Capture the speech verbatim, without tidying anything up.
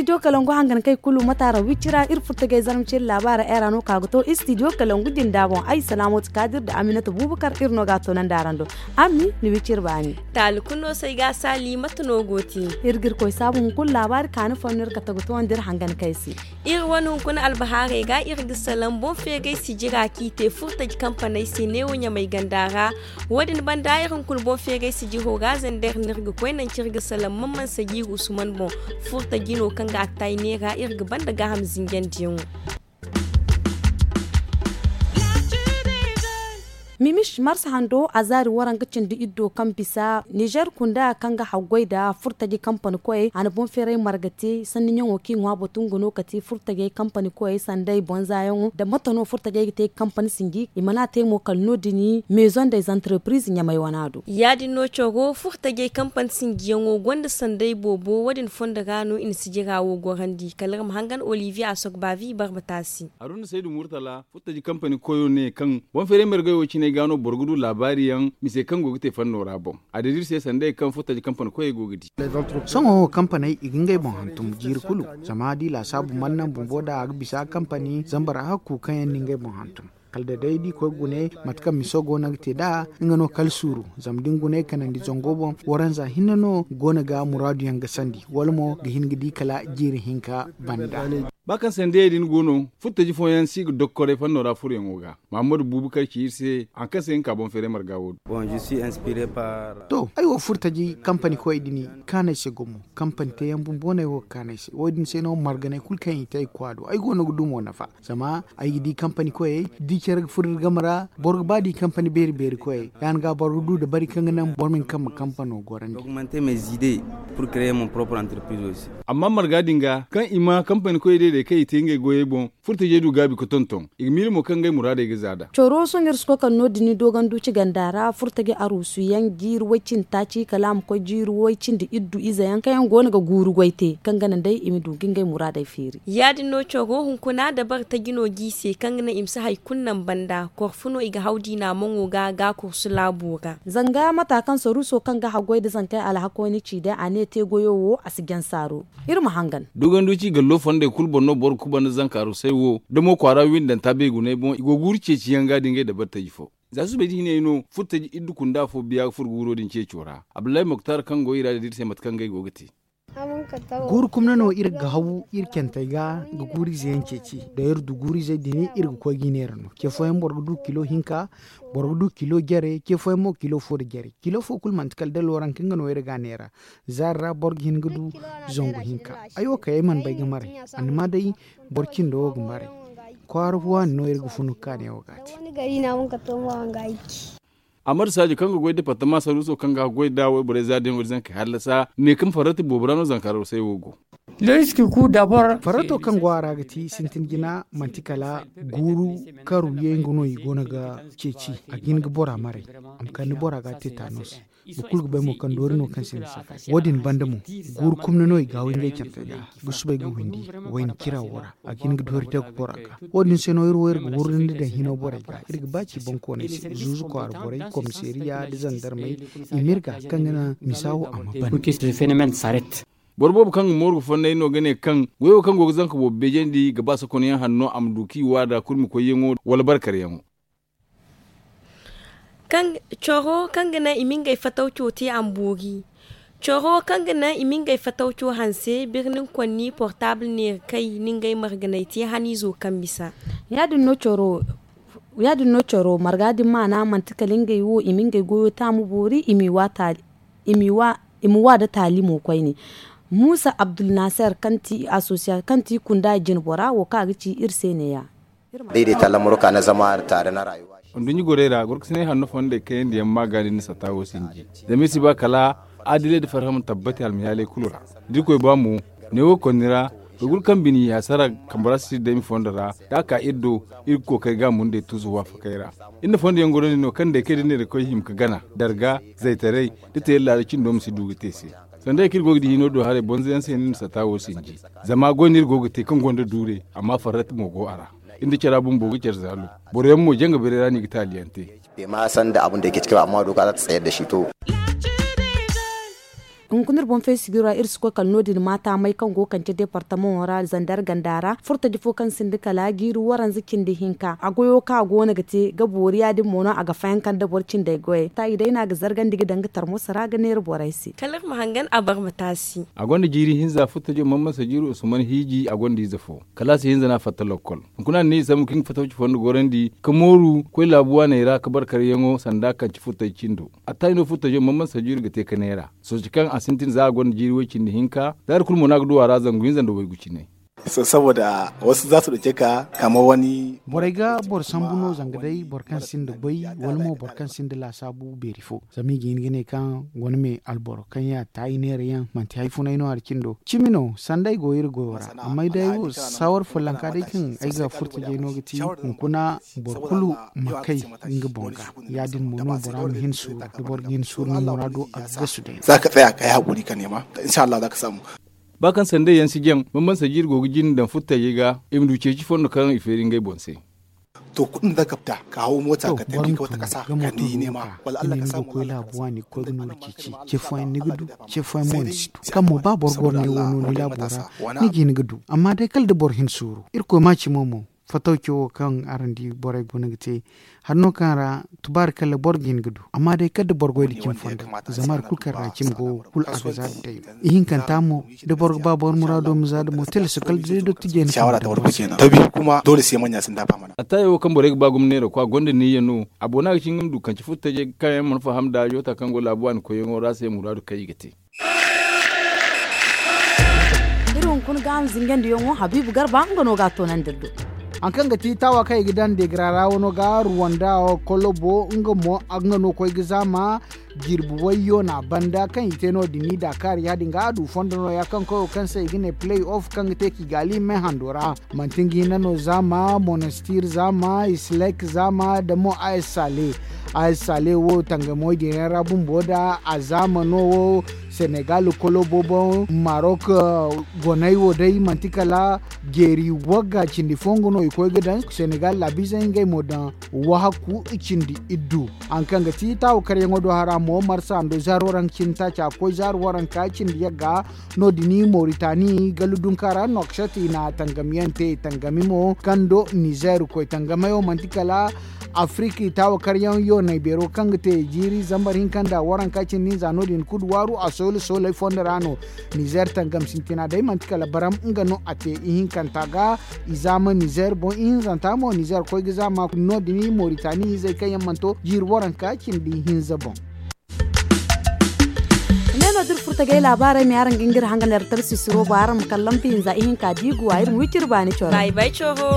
Istidiyo kalangu hangan kay kulu mataara wicira iri furtagay zarma ciri laabaara era no ka ga to istidiyo kalangu jinda boŋ ay salaamatu kaadir nda aminata buubakar iri no ga a toonandi araŋ do. Ammi ni wiciri baani. Taali kulu no se ay ga a saali mate no go te? Iri ga iri koy saabu hunkuna laabaari kaani fooyaŋ no iri kate ga toonandi iri hangan kay se. Iri wane hunkuna albahaarey ga iri ga salaŋ boŋ feeray sijira kaŋ i te furtaji kampaney se neewo ɲamay ganda ra. Wo- din banda iri hunkuna boŋ feeray sijiro ra zander no iri ga koy nangu kaŋ iri ga salaŋ man man sajiiri usman boŋ. Furtaji no kaŋ ga a taay neera iri ga banda gaaham zinjandiyaŋo. Mimish marsa hando a zaari waranga cindi iddo kaŋ bisa nizer kunda kaŋ ga haggoy nda furtaji kampani koyey a na boŋ feeray marga te sanni ɲaŋo kaŋ i ŋwa batu nga no ka te furtajey kampani koyey sanday bonzayaŋo nda mate no furtajey ga te ga kampani sinji i mana te mo kala no- din. Meezoŋ day zantarepiriz ɲamay wana do ya- din no coro furtajey kampani sinjiyaŋo gonda sanday boobo wo- din fondo ra no i na sijira wo gorandi kala iri ma hangan olivier asogbavi barba taasi. Haruna saydu murtala furtaji kampani koyo ne kaŋ boŋ feeray margey wo cine ga no boro ga du laabaari yaŋ mise kaŋ go ga te fanno ra boŋ. A dira iri se sanday kaŋ furtaji kampani koyey go ga di. Sohõ wo kampaney i ga ngey boŋ hantum jiiri kulu zama da i laasaabu mana naŋ bumbo da a ga bisa kampani zambar hakku kaŋ yaŋ na ngey boŋ hantum. Kala da day da i koy gune mate kaŋ miso go no ga te nd'a nga no kala suuru. Zama da ni gune kanandi zango boŋ waranza hinne no go no ga muraadu yaŋ ga sandi wala mo ga hin ga di kala jiiri hinka banda. Ba kaŋ sandiyey din go no furtaji fooyaŋ si ga dokkoray fanno ra furoyaŋo ga. Mahammadu buubu kar ci iri se hari kaŋ se nga ka boŋ feeray marga wo- din. To ay wo furtaji kampani koyey din kaanu ay se gumo. Kampani teeyaŋ bumbo no ay wo ga kaanu ay se wo- din se no marganay kulu kaŋ i te ay ga koy a do ay go no ga du mo nafa. Zama ay ga di kampani koyey da i care ga furo iri game ra boro ga ba da i kampani beeri beeri koyey ya- din ga boro ga du dabari kaŋ ga naŋ boro ma hin kaŋ ma kampano gorandi. Amma marga din ga kaŋ i ma kampani koyey day day kaŋ i te ngey goyey boŋ furtajey du gaabi ga tonton i ga miila mo kaŋ ngey muraadey ga za nd'a. Coro sohõ iri si koy kala no- din ni doogandu ci ganda ra furtajey aruusu yaŋ jiiri way cindi taaci kala a ma koy jiiri way cindi iddu ize yaŋ kaŋ yaŋ go no ga guuru goy te kaŋ ga naŋ day i ma du ga ngey muraadey feeri. Ya- din no coro hunkuna dabari taji no g'i se kaŋ ga naŋ i ma si hari kulu naŋ banda korfu no i ga haw diina maŋo ga ga kursu laabo ra. Zanga mata kaŋ saruuso kaŋ ga haggoy nda zankey alhako ni ci day a ne te goyo wo a si jaŋ saaro. Iri ma hangan. Duganduci gallo fondey kulu boŋ no boro ga kuba nda zanka arusay wo da mo kwaara windanta beegunay boŋ i go ga guuru ceeciyaŋ ga da ngey dabari taji fo. Za suubay da hinay no furtaji iddu kunda fo biya ga furo guuro din ceeco ra. Abdullahi moktar kaŋ go i ra da dira se mate kaŋ ngey go ga te. Guuru kumna no iri ga haw iri cantey ga ga guuru ize yaŋ ceeci da iri du guuru izey din iri ga koy ga i neera no ce fooyaŋ boro ga du kilo hinka, boro ga du kilo jare ce fooyaŋ mo kilo fo nda jare kilo fo kulu manti kala da looranka nga no iri ga a neera. Zaari ra boro ga hin ga du zangu hinka. Ay wo kay ay mana bay ga maray. Annama day boro cindo wo ga maray. Kwaara waani no iri ga funu ga ka neewo ga a te. Amadu saajo kaŋ ga goy departama saruuso kaŋ ga goy nda wayborey zaadiyaŋo da zankey hallasa ne kaŋ farrati boobo ra no zanka arusay wo go. Farrato kaŋ go a ra ga ti sintin jina manti kala guuru karu yeeŋ ga no i go no ga ceeci. A ga hin ga bora maray a ma kande bora ga a te taano se. Boro kulu ga bay mo kaŋ doori no kaŋ se ni safari wo- din banda mo guuru kumna no i ga haw ngey cantey ga ga subay ga windi wayna cira wo ra. A ga hin ga doori dagu bora ga wo- din se no iri wo iri ga wurrindi daŋ hino borey ga iri ga ba ci boŋkooney se zuuzu kwaara borey komiseeriya nda zandarmey. I ma iri ga kaŋ ga naŋ misa wo a ma ban. Boro boobo kaŋ ga mooru ga fonnay no ga ne kaŋ goyo kaŋ go ga zanka boobo beejandi ga ba sokonyaŋ hanno a ma du kaŋ i waada kurmi koyyaŋo wala barkaryaŋo. Coro kaŋ ga naŋ i ma ngey fatawco te a ma boori. Coro kaŋ ga naŋ i ma ngey fatawco hanse birnin konni portaabul neera kay na ngey marganay te haniizo kaŋ bisa. Ya- din no coro marga din maana manti kala ngey wo i ma ngey goyo te a ma boori i m'i wa taali i m'i wa i ma wa nda taali mo koyne. Muusa abdulnaser kaŋ ti asosiya kaŋ ti kunda jinbora wo kaŋ a ga ci iri se neeya. Day day ta lamaro ka na zama taare na rayuwa. Nduɲɲi gorey ra gorkasinay hanno fondey kayandi yaŋ ma ga din na satta wo sinji. Zama iri si ba kala adilay nda farhã ma tabbati almiyaaley kulu ra. Da irkoy ba mo neewo konni ra, koy kulu kaŋ bini i hasara kambe ra si day ma fondo ra da a ka iri do. Iri ga kookari ga a mundey tuusu waafakey ra. Iri na fondo yaŋ gorandi no kaŋ day kay da neera koy hima ga gana darga, zaytaray, da teeri laada cindo ma si du ga te se. Sanda ya kaŋ iri go ga di hino do haray bonzo yaŋ se no iri na satta wo sinji. Zama goy no iri go ga te kaŋ gonda duure amma farrati mo go a ra. Iri nda cara bumbo ga care zaalo. Boro yaŋ mo janga beeray ra no i ga taali yaŋ te. Te ma sanda abun da yake cikin amma do ka za ta tsayar da shi to. Hunkuna iri boŋ fay sijiro ra iri si koy kala no- din maata may kaŋ go ga kande deepartamaŋo ra zandar ganda ra furtaji fo kaŋ sinda kala jiiri waranza cindi hinka a goyo kaŋ a go no ga te ga boori ya- din mo no a ga fayanka nda boro cindey goyey ta i day no a ga zargandi ga daŋ ga tarmoso ra ga neera borey se. Kala iri ma hangan a bar ma taasi. A gonda jiiri hinza furtajo mamansa jiiri usman hiiji a gonda ize fo. Kalaasi hinza no a fatta lokkol. Hunkuna a na ne i sambu kaŋ ga fatawci fondo gorandi ka mooru koy laabu waaney ra ka bar karyaŋo sanda kaŋ ci furtaji cindo. Attaaji no furtajo mamansa jiiri ga te ka neera sooci kaŋ a sintin za a gonda jiiri way- cindi hinka. Zaari kulu mo no a ga du a ra zangu hinza nda waygu cine. Saboda wasu za su ɗauke ka kamar wani. Borey ga boro sambu no zanga day boro kaŋ sinda goy wala mo boro kaŋ sinda laasaabu beeri fo. Zama i ga hin ga ne kaŋ wane me alboro kaŋ ya taayi neera yaŋ manti hari funay no hari cindo cimi no sanda ay go iri goyo ra. Amma ay day wo saawar follonka day kaŋ ay ga furtajey no ga ti hunkuna boro kulu ma kay nga boŋ ga. Ya- din mo no bora ma hin suuru da boro ga hin suuru ni muraado a ga gasu day. Za ka tsaya ka yi haƙuri ka nema, insha Allah za ka samu. Ba kaŋ sandey yaŋ si jaŋ bambam sajiiri go ga jin daŋ furtajey ga i ma du ceeci fondo kaŋ i feeri ngey boŋ se. To kuɗin da za ka fita ka hawo moota ka tafi ga wata kasa ka ni nema wala Allah ka samu koy laabu waani ga koy ga nooru ceeci. Ce fooyaŋ ni ga du, ce fooyaŋ mo ni si du. Kaŋ mo ba boro goro ne wo no ni laabo ra, ni ga hin ga du. Amma day kala da boro hin suuru irkoy ma ci mo mo. Fatawco wo kaŋ araŋ di borey go no ga te hari no kaŋ ra tubaari kala boro ga hin ga du. Amma day kala da boro goy da cimi fondo, zama hari kulu kaŋ ra cimi go kulu a ga za da day no. Ihinkanta mo da boro ga ba boro muraado ma za da mo tilas kala da day dottijey na faham da boro se. Tabi kuma doole se manya sun dafa mana. Attaayo wo kaŋ borey ga ba gomneero ko a gonda niyya no. A boona ga ci nga ma du kaŋ ci furtajey kaŋ yaŋ mana faham da joota kaŋ go laabu waani koyyaŋo ra se muraadu kaŋ i ga te. Iri hunkuna ga a ma zingandiyaŋo habiibu garba nga no ga a toonandi iri do. Hari kaŋ ga ti taawa kaŋ i ga daŋ deegira ra wano ga ruwanda kolobo nga mo nga no koy ga zaama. Jirbi wayyo na banda kaŋ i te no- din i daakaari ya- din ga a du fondo nooya kaŋ koyo kaŋ se i ga ne play off kaŋ ga te kigali me hando ra. Manti nga hinne no zaama monastir zaama islek zaama da mo as sale. As sale wo tangamoy din yaŋ ra bumbo da a zaama no wo senegal kolobo boŋ marok. Goney wo day manti kala jeeri wagga cindi fo nga no i koy ga daŋ senegal laabizey ngey mo daŋ wahakku cindi iddu. Hari kaŋ ga ti taawa karyaŋo do hara mo marsa ndo zaari waranka cindi taaci a koy zaari waranka cindi yagga. No- din moritani galu dunka ra nokshat i na tangamiyaŋ te tangami mo kaŋ do nizer koy tangamayo manti kala afirika i taawa karyaŋ yoonay beero kaŋ ga te jiiri zambar hinka nda waranka cindi hinza no- din kulu waaru a soolo sooley fondo ra no. Nizer tangam sintina day manti kala baram nga no a te ihinkanta ga. I zaama nizer boŋ ihinzanta mo nizer koy ga zaama no- din moritani izey kaŋ yaŋ mana to jiiri waranka cindi hinza boŋ. Ne no da iri furtagay laabaarey me araŋ ga nga iri hangan iri tarsi siro boŋ araŋ ma kala lambu hinza ihinka da i guwa iri ma wi ciri baani coro. Bay bay coro.